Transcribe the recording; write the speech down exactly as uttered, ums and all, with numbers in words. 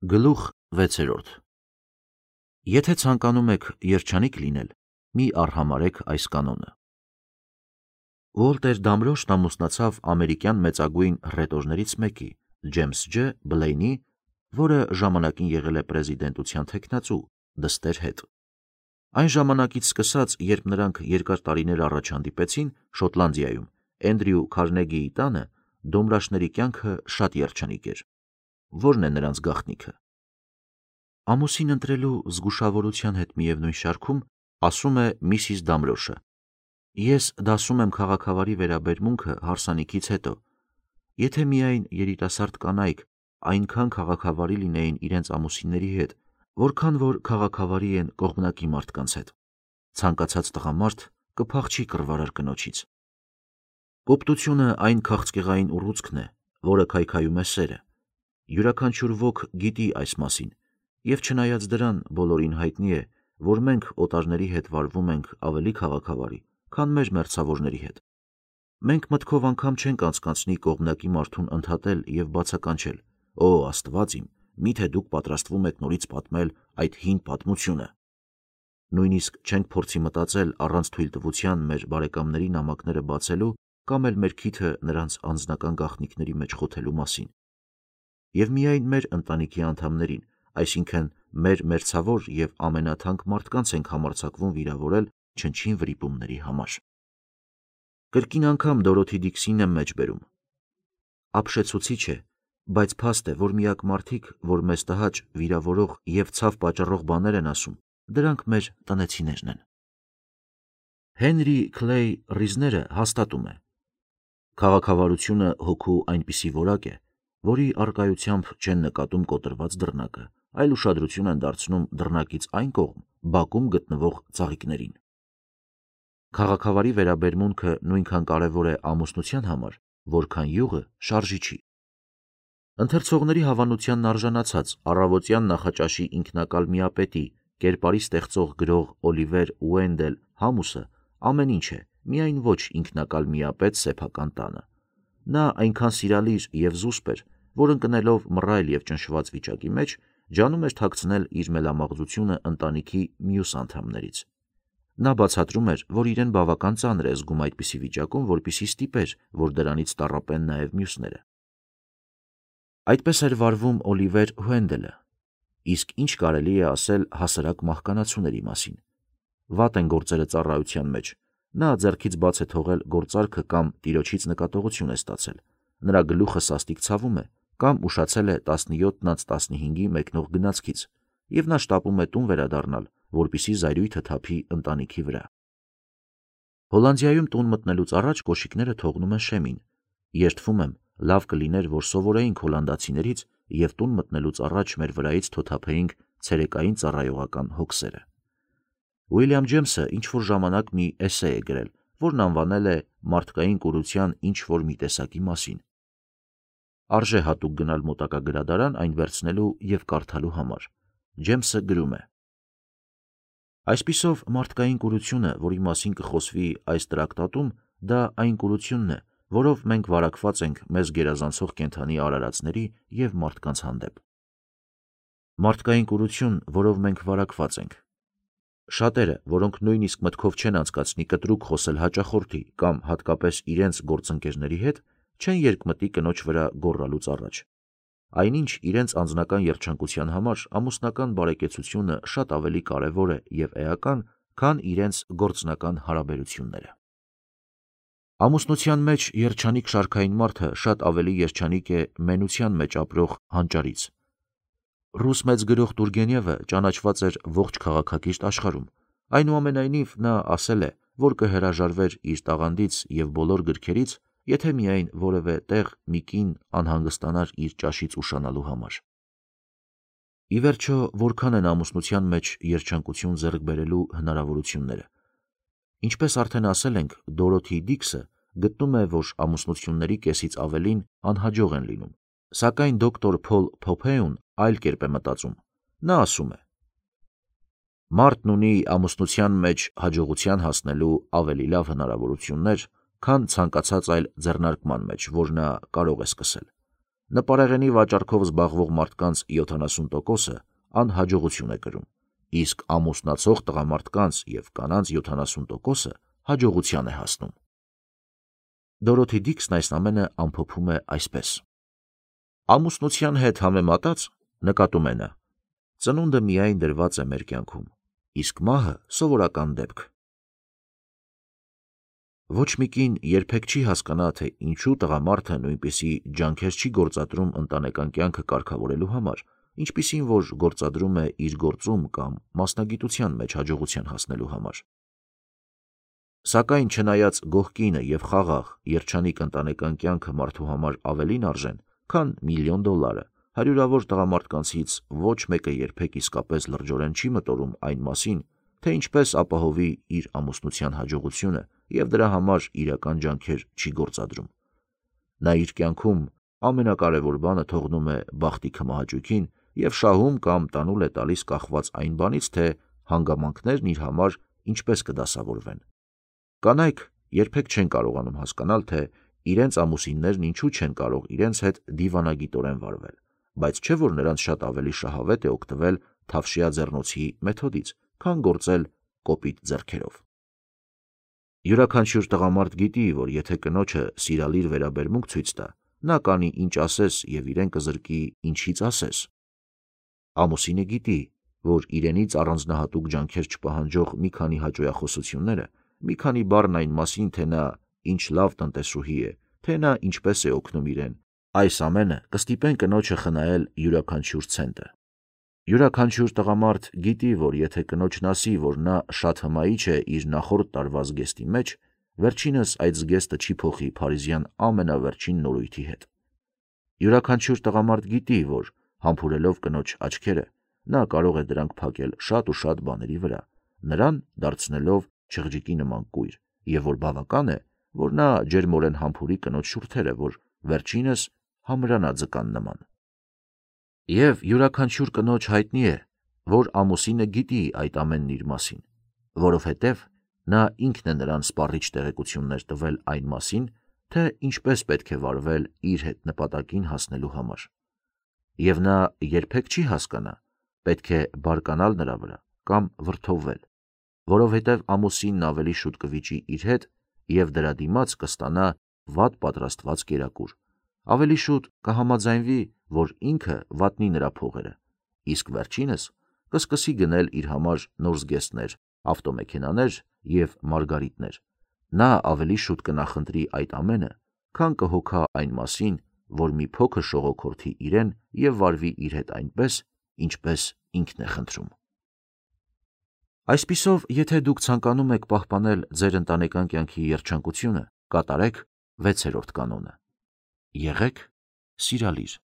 Գլուխ վեցերորդ Եթե ցանկանում եք երջանիկ լինել, մի արհամարհեք այս կանոնը։ Ուոլտեր Դամրոշն ամուսնացավ ամերիկյան մեծագույն հռետորներից մեկի, Ջեյմս Ջ. Բլեյնի, որը ժամանակին եղել է պրեզիդենտության թեկնածու, դստեր հետ։ Այն ժամանակից սկսած, երբ նրանք երկար տարիներ առաջ հանդիպեցին Շոտլանդիայում, Էնդրյու Քարնեգիի տանը, դոմրաշների կյանքը շատ երջանիկ էր։ Որն է նրանց գաղտնիքը։ Ամուսին ընտրելու զգուշավորության հետ միևնույն շարքում ասում է Միսիս Դամրոշը. Ես դասում եմ քաղաքավարի վերաբերմունքը հարսանիքից հետո։ Եթե միայն երիտասարդ կանայք այնքան քաղաքավարի լինեին իրենց ամուսինների հետ, որքան որ քաղաքավարի են կողմնակի մարդկանց հետ, ցանկացած տղամարդ կփախչի կռվարար կնոջից։ Կոպտությունը այն քաղցկեղային ուռուցքն է, որը քայքայում է սերը։ Յուրաքանչյուր ոք գիտի այս մասին, և չնայած դրան բոլորին հայտնի է, որ մենք օտարների հետ վարվում ենք ավելի քաղաքավարի, քան մեր մերձավորների հետ։ Մենք մտքով անգամ չենք անցկացնի կողմնակի մարդուն ընդհատել և բացականչել. «Օ, Աստված իմ, միթե դուք պատրաստվում եք նորից պատմել այդ հին պատմությունը»։ Նույնիսկ չենք փորձի մտածել առանց թույլտվության մեր բարեկամների նամակները բացելու կամ էլ մեր քիթը նրանց անձնական գաղտնիքների մեջ խոթելու մասին։ Եվ միայն մեր ընտանիքի անդամներին, այսինքն մեր մերձավոր և ամենաթանկ մարդկանց ենք համարձակվում վիրավորել չնչին վրիպումների համար։ Կրկին անգամ Դորոթի Դիքսին եմ մեջբերում. ապշեցուցիչ է, բայց փաստ է, որ միակ մարդիկ, որ մեզ տհաճ, վիրավորող և ցավ պատճառող բաներ են ասում, դրանք մեր տնեցիներն են։ Հենրի Քլեյ Ռիզները հաստատում է. քաղաքավարությունը հոգու այնպիսի որակ է, որի առկայությամբ չեն նկատում կոտրված դռնակը, այլ ուշադրություն են դարձնում դռնակից այն կողմ բակում գտնվող ծաղիկներին։ Քաղաքավարի վերաբերմունքը նույնքան կարևոր է ամուսնության համար, որքան յուղը շարժիչի։ Ընթերցողների հավանությանն արժանացած առավոտյան նախաճաշի ինքնակալ միապետի, կերպարի ստեղծող գրող Օլիվեր Ուենդել Համուսը ամեն ինչ է, միայն ոչ ինքնակալ միապետ սեփական տանը։ Նա այնքան սիրալիր և զուսպ էր, որ ընկնելով մռայլ և ճնշված վիճակի մեջ, ջանում էր թաքցնել իր մելամաղձությունը ընտանիքի մյուս անդամներից։ Նա բացատրում էր, որ իրեն բավական ծանր է զգում այդպիսի վիճակում, որպեսզի ստիպեր, որ դրանից տառապեն նաև մյուսները։ Այդպես էր վարվում Օլիվեր Ուենդելը։ Իսկ ինչ կարելի է ասել հասարակ մահկանացուների մասին։ Վատ են գործերը ծառայության մեջ, նա ձեռքից բաց է թողել գործարքը կամ տիրոջից նկատողություն է ստացել, նրա գլուխը սաստիկ ցավում է, կամ ուշացել է տասնյոթ անց տասնհինգի մեկնող գնացքից, և նա շտապում է տուն վերադառնալ, որպեսզի զայրույթը թափի ընտանիքի վրա։ Հոլանդիայում տուն մտնելուց առաջ կոշիկները թողնում են շեմին։ Երդվում եմ, լավ կլիներ, որ սովորեինք հոլանդացիներից և տուն մտնելուց առաջ մեր վրայից թոթափեինք ցերեկային ծառայողական հոգսերը։ Ուիլյամ Ջեյմսը ինչ-որ ժամանակ մի էսսե է գրել, որն անվանել է «Մարդկային կուրության ինչ-որ մի տեսակի մասին»։ Արժե հատուկ գնալ մոտակա գրադարան այն վերցնելու և կարդալու համար։ Ջեյմսը գրում է. Այսպիսով, մարդկային կուրությունը, որի մասին կխոսվի այս տրակտատում, դա այն կուրությունն է, որով մենք վարակված ենք մեզ գերազանցող կենդանի արարածների և մարդկանց հանդեպ։ Մարդկային կուրություն, որով մենք վարակված ենք։ Շատերը, որոնք նույնիսկ մտքով չեն անցկացնի կտրուկ խոսել հաճախորդի կամ հատկապես իրենց գործընկերների հետ, չեն երկմտի կնոջ վրա գոռալուց առաջ։ Այնինչ իրենց անձնական երջանկության համար ամուսնական բարեկեցությունը շատ ավելի կարևոր է և էական, քան իրենց գործնական հարաբերությունները։ Ամուսնության մեջ երջանիկ շարքային մարդը շատ ավելի երջանիկ է մենության մեջ ապրող հանճարից։ Ռուս մեծ գրող Տուրգենևը ճանաչված էր ողջ քաղաքակիրթ աշխարհում, այնուամենայնիվ նա ասել է, որ կհրաժարվեր իր տաղանդից և բոլոր գրքերից, եթե միայն որևէ տեղ մի կին անհանգստանար իր ճաշից ուշանալու համար։ Ի վերջո, որքան են ամուսնության մեջ երջանկություն ձեռք բերելու հնարավորությունները։ Ինչպես արդեն ասել ենք, Դորոթի Դիքսը գտնում է, որ ամուսնությունների կեսից ավելին անհաջող են լինում, սակայն դոկտոր Փոլ Փոփեուն այլ կերպ է մտածում։ Նա ասում է. «Մարդն ունի ամուսնության մեջ հաջողության հասնելու ավելի լավ հնարավորություններ, քան ցանկացած այլ ձեռնարկման մեջ, որ նա կարող է սկսել։ նպարեղենի վաճառքով զբաղվող մարդկանց յոթանասուն տոկոսը անհաջողություն է կրում, իսկ ամուսնացող տղամարդկանց և կանանց յոթանասուն տոկոսը հաջողության է հասնում։ Դորոթի Դիքսն այս ամենը ամփոփում է այսպես. ամուսնության հետ համեմատած, նկատում է նա, ծնունդը միայն դրված է մեր կյանքում, իսկ մահը սովորական դեպք։ Ոչ մի կին երբեք չի հասկանա, թե ինչու տղամարդը նույնպիսի ջանքեր չի գործադրում ընտանեկան կյանքը կարգավորելու համար, ինչպիսին որ գործադրում է իր գործում կամ մասնագիտության մեջ հաջողության հասնելու համար։ Սակայն չնայած գողկինը և խաղաղ, երջանիկ ընտանեկան կյանքը մարդու համար ավելին արժեն, քան միլիոն դոլարը, հարյուրավոր տղամարդկանցից ոչ մեկը երբեք իսկապես լրջորեն չի մտորում այն մասին, թե ինչպես ապահովի իր ամուսնության հաջողությունը և դրա համար իրական ջանքեր չի գործադրում։ Նա իր կյանքում ամենակարևոր բանը թողնում է բախտի քմահաճույքին և շահում կամ տանուլ է տալիս կախված այն բանից, թե հանգամանքներն իր համար ինչպես կդասավորվեն։ Կանայք երբեք չեն կարողանում հասկանալ, թե իրենց ամուսիններն ինչու չեն կարող իրենց հետ դիվանագիտորեն վարվել, բայց չէ որ նրանց շատ ավելի շահավետ է օգտվել թավշյա ձեռնոցի մեթոդից, քան գործել կոպիտ ձեռքերով։ Յուրաքանչյուր տղամարդ գիտի, որ եթե կնոջը սիրալիր վերաբերմունք ցույց տա, նա կանի ինչ ասես և իրեն կզրկի ինչից ասես։ Ամուսինը գիտի, որ իրենից առանձնահատուկ ջանքեր չպահանջող մի քանի հաճոյախոսությունները, մի քանի բառն այն մասին, թե նա ինչ լավ տնտեսուհի է, թե նա ինչպես է օգնում իրեն, այս ամենը կստիպեն կնոջը խնայել յուրաքանչյուր ցենտը։ Յուրաքանչյուր տղամարդ գիտի, որ եթե կնոջն ասի, որ նա շատ հմայիչ է իր նախորդ տարվա զգեստի մեջ, վերջինս այդ զգեստը չի փոխի փարիզյան ամենավերջին նորույթի հետ։ Յուրաքանչյուր տղամարդ գիտի, որ համբուրելով կնոջ աչքերը, նա կարող է դրանք փակել շատ ու շատ բաների վրա, նրան դարձնելով չղջիկի նման կույր, և որ բավական է, որ նա ջերմորեն համբուրի կնոջ շուրթերը, որ վերջինս համրանա ձկան նման։ Եվ յուրաքանչյուր կնոջ հայտնի է, որ ամուսինը գիտի այդ ամենն իր մասին, որովհետև նա ինքն է նրան սպառիչ տեղեկություններ տվել այն մասին, թե ինչպես պետք է վարվել իր հետ նպատակին հասնելու համար։ Եվ նա երբեք չի հասկանա, պետք է բարկանալ նրա վրա կամ վրդովվել, որովհետև ամուսինն ավելի շուտ կվիճի իր հետ և դրա դիմաց կստանա վատ պատրաստված կերակուր, ավելի շուտ կհամաձայնվի, որ ինքը վատնի նրա փողերը, իսկ վերջինս կսկսի գնել իր համար նոր զգեստներ, ավտոմեքենաներ և մարգարիտներ։ Նա ավելի շուտ կնախընտրի այդ ամենը, քան կհոգա այն մասին, որ մի փոքր շողոքորթի իրեն և վարվի իր հետ այնպես, ինչպես ինքն է խնդրում։ Այսպիսով, եթե դուք ցանկանում եք պահպանել ձեր ընտանեկան կյանքի երջանկությունը, կատարեք վեցերորդ կանոնը. եղեք սիրալիր։